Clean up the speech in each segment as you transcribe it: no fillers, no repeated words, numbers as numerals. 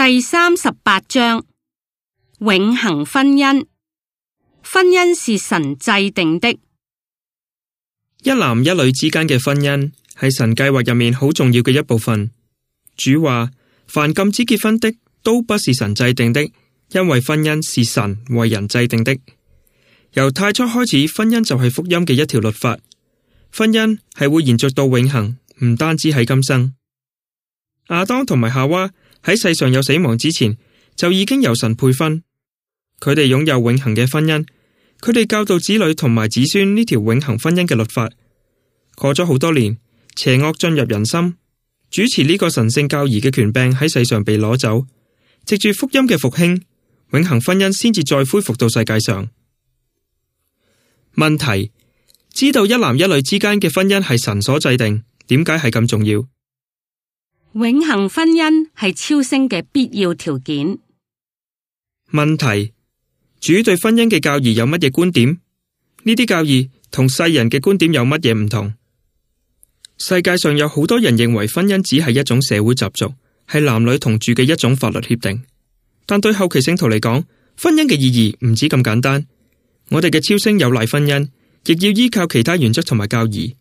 第38章，永恆婚姻。婚姻是神制定的。一男一女之間嘅婚姻係神計劃入面好重要嘅一部分。主話：凡禁止結婚的，都不是神制定的，因為婚姻是神為人制定的。由太初開始，婚姻就係福音嘅一條律法。婚姻係會延續到永恆，唔單止喺今生。亞當同埋夏娃喺世上有死亡之前，就已經由神配婚。佢哋擁有永恆嘅婚姻，佢哋教導子女同埋子孫呢條永恆婚姻嘅律法。過咗好多年，邪惡進入人心，主持呢個神聖教義嘅權柄喺世上被攞走。藉住福音嘅復興，永恆婚姻先至再恢復到世界上。問題：知道一男一女之間嘅婚姻係神所制定，點解係咁重要？永恆婚姻係超升嘅必要條件。問題：主對婚姻嘅教義有乜嘢觀點？呢啲教義同世人嘅觀點有乜嘢唔同？世界上有好多人認為婚姻只係一種社會習俗，係男女同住嘅一種法律協定。但對後期聖徒嚟講，婚姻嘅意義唔止咁簡單。我哋嘅超升有賴婚姻，亦要依靠其他原則同埋教義，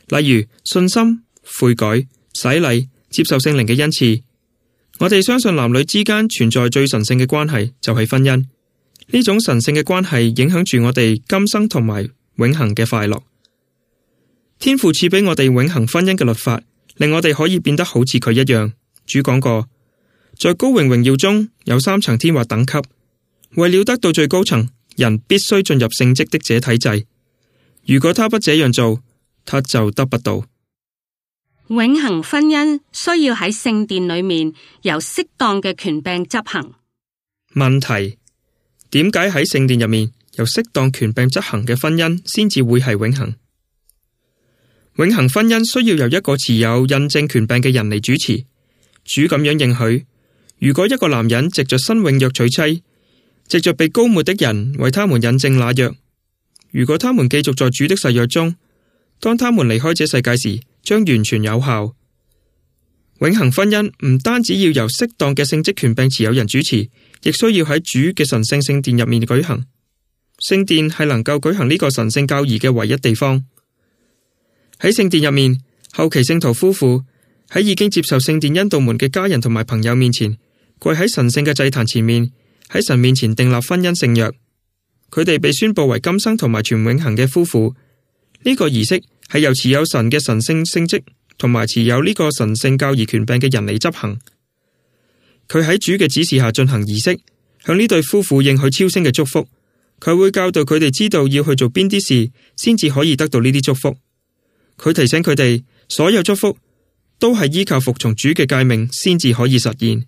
例如信心、悔改、洗禮、接受聖靈嘅恩賜。我哋相信男女之間存在最神聖嘅關係，就係婚姻。呢種神聖嘅關係影響住我哋今生同埋永恆嘅快樂。天父賜俾我哋永恆婚姻嘅律法，令我哋可以變得好似佢一樣。主講過，在高榮榮耀中有3層天或等級，為了得到最高層，人必須進入聖職的這體制。如果他不這樣做，他就得不到。永恆婚姻需要喺聖殿裏面由適當嘅權柄執行。問題：點解喺聖殿入面由適當權柄執行嘅婚姻先至會係永恆？永恆婚姻需要由一個持有印證權柄嘅人嚟主持。主咁樣應許：如果一個男人藉着新永約娶妻，藉着被膏抹的人為他們印證那約，如果他們繼續在主的誓約中，當他們離開這世界時，將完全有效。永恆婚姻唔單止要由適當嘅聖職權柄持有人主持，亦需要喺主嘅神聖聖殿入面舉行。聖殿係能夠舉行呢個神聖教義嘅唯一地方。喺聖殿入面，後期聖徒夫婦喺已經接受聖殿恩道門嘅家人同埋朋友面前，跪喺神聖嘅祭壇前面，喺神面前訂立婚姻聖約。佢哋被宣布為今生同埋全永恆嘅夫婦。呢個儀式係由持有神嘅神聖聖職同埋持有呢個神聖教義權柄嘅人嚟執行。佢喺主嘅指示下進行儀式，向呢對夫婦應許超升嘅祝福。佢會教導佢哋知道要去做邊啲事，先至可以得到呢啲祝福。佢提醒佢哋，所有祝福都係依靠服從主嘅誡命先至可以實現。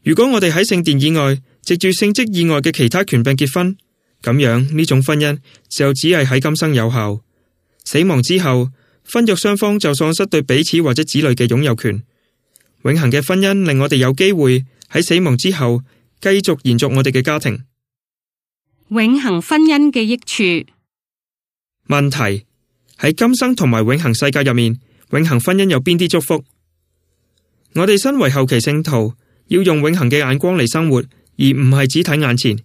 如果我哋喺聖殿以外，藉住聖職以外嘅其他權柄結婚，咁樣呢種婚姻就只係喺今生有效。死亡之後，婚約雙方就喪失對彼此或者子女嘅擁有權。永恆嘅婚姻令我哋有機會喺死亡之後繼續延續我哋嘅家庭。永恆婚姻嘅益處。問題：喺今生同埋永恆世界入面，永恆婚姻有邊啲祝福？我哋身為後期聖徒，要用永恆嘅眼光嚟生活，而唔係只睇眼前。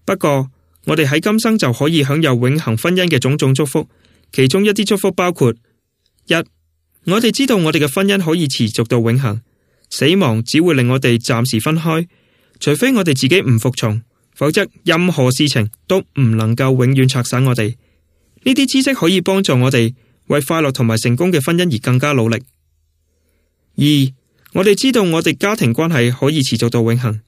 不過，我哋喺今生就可以享有永恆婚姻嘅種種祝福。其中一啲祝福包括：一，我哋知道我哋嘅婚姻可以持續到永恆，死亡只會令我哋暫時分開，除非我哋自己唔服從，否則任何事情都唔能夠永遠拆散我哋。呢啲知識可以幫助我哋為快樂同埋成功嘅婚姻而更加努力。二，我哋知道我哋家庭關係可以持續到永恆，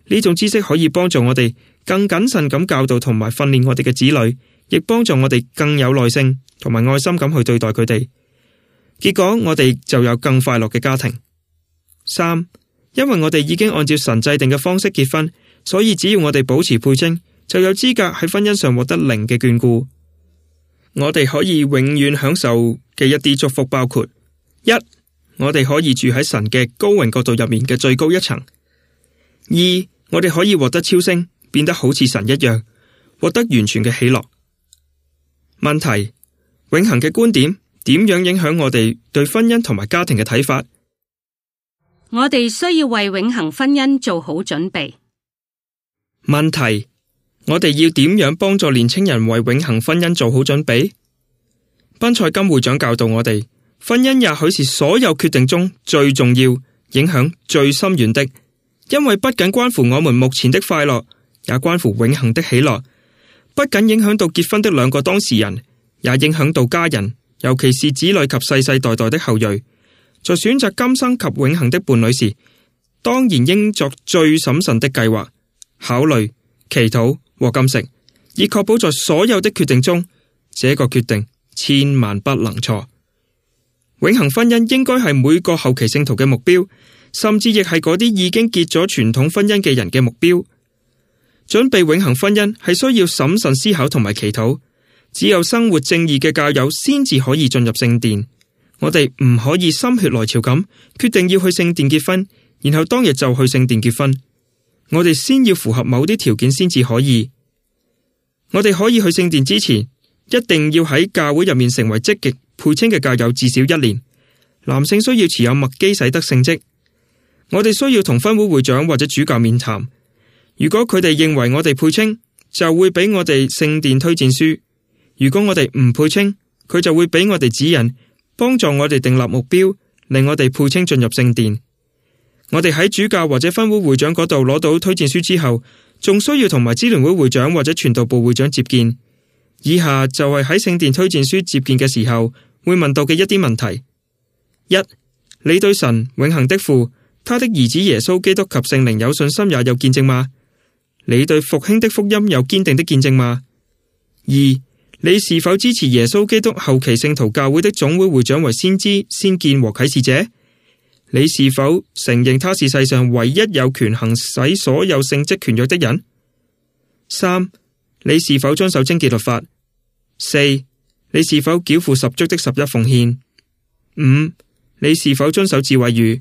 呢種知識可以幫助我哋更謹慎咁教導同埋訓練我哋嘅子女，亦幫助我哋更有耐性同埋愛心咁去對待佢哋。結果我哋就有更快樂嘅家庭。三，因為我哋已經按照神制定嘅方式結婚，所以只要我哋保持配稱，就有資格喺婚姻上獲得靈嘅眷顧。我哋可以永遠享受嘅一啲祝福包括：一，我哋可以住喺神嘅高榮國度入面嘅最高一層；二，我哋可以獲得超升，變得好似神一樣，獲得完全嘅喜樂。問題：永恆嘅觀點點樣影響我哋對婚姻同埋家庭嘅睇法？我哋需要為永恆婚姻做好準備。問題：我哋要點樣幫助年青人為永恆婚姻做好準備？賓賽金會長教導我哋，婚姻也許是所有決定中最重要、影響最深遠的，因為不僅關乎我們目前的快樂，也關乎永恆的喜樂。不僅影響到結婚的兩個當事人，也影響到家人，尤其是子女及世世代代的後裔。在選擇今生及永恆的伴侶時，當然應作最審慎的計劃、考慮、祈禱和禁食，以確保在所有的決定中，這個決定千萬不能錯。永恆婚姻應該係每個後期聖徒嘅目標，甚至亦係嗰啲已經結咗傳統婚姻嘅人嘅目標。準備永恆婚姻係需要審慎思考同埋祈禱，只有生活正義嘅教友先至可以進入聖殿。我哋唔可以心血來潮咁決定要去聖殿結婚，然後當日就去聖殿結婚。我哋先要符合某啲條件先至可以。我哋可以去聖殿之前，一定要喺教會入面成為積極配稱嘅教友至少1年。男性需要持有麥基洗德聖職。我哋需要同分會會長或者主教面談。如果佢哋認為我哋配稱，就會俾我哋聖殿推薦書；如果我哋唔配稱，佢就會俾我哋指引，幫助我哋訂立目標，令我哋配稱進入聖殿。我哋喺主教或者分會會長嗰度攞到推薦書之後，仲需要同埋支聯會會長或者傳道部會長接見。以下就係喺聖殿推薦書接見嘅時候會問到嘅一啲問題：一、你對神永恆的父、他的兒子耶穌基督及聖靈有信心也有見證嗎？你對復興的福音有堅定的見證嗎？二、你是否支持耶穌基督後期聖徒教會的總會會長為先知、先見和啟示者？你是否承認他是世上唯一有權行使所有聖職權約的人？三、你是否遵守貞潔律法？四、你是否繳付十足的十一奉獻？五、你是否遵守智慧語？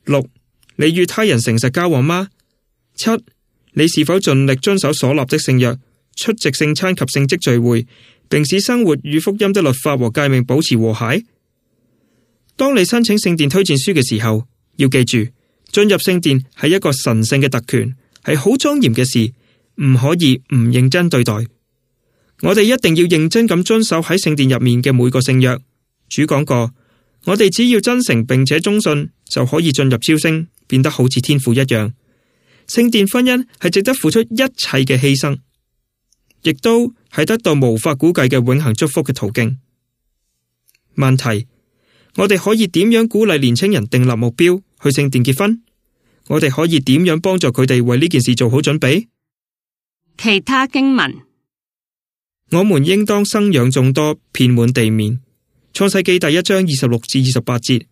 六、你與他人誠實交往嗎？七、你是否盡力遵守所立的聖約，出席聖餐及聖職聚會，並使生活與福音的律法和誡命保持和諧？當你申請聖殿推薦書嘅時候，要記住，進入聖殿係一個神聖嘅特權，係好莊嚴嘅事，唔可以唔認真對待。我哋一定要認真咁遵守喺聖殿入面嘅每個聖約。主講過，我哋只要真誠並且忠信，就可以進入超升，變得好似天父一樣。聖殿婚姻係值得付出一切嘅犧牲，亦都係得到無法估計嘅永恆祝福嘅途徑。問題：我哋可以點樣鼓勵年輕人訂立目標去聖殿結婚？我哋可以點樣幫助佢哋為呢件事做好準備？其他經文：我們應當生養眾多，遍滿地面。創世記第1章26至28節。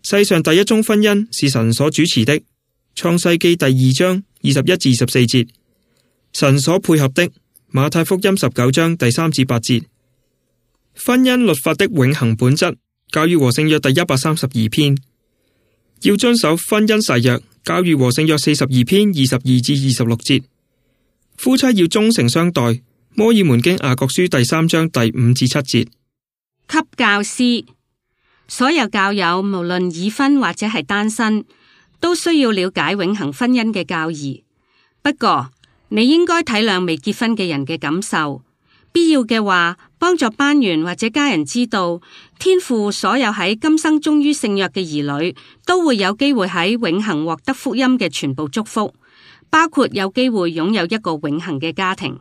世上第一宗婚姻是神所主持的。創世記第2章21至24節。神所配合的。馬太福音19章第3至8節。婚姻律法的永恆本質。教義和聖約第132篇。要遵守婚姻誓約。教義和聖約42篇22至26節。夫妻要忠誠相待。摩爾門經雅各書第3章第5至7節。給教師，所有教友無論已婚或者係單身，都需要了解永恆婚姻嘅教義。不過，你應該體諒未結婚嘅人嘅感受，必要嘅話，幫助班員或者家人知道，天父所有喺今生忠於聖約嘅兒女，都會有機會喺永恆獲得福音嘅全部祝福，包括有機會擁有一個永恆嘅家庭。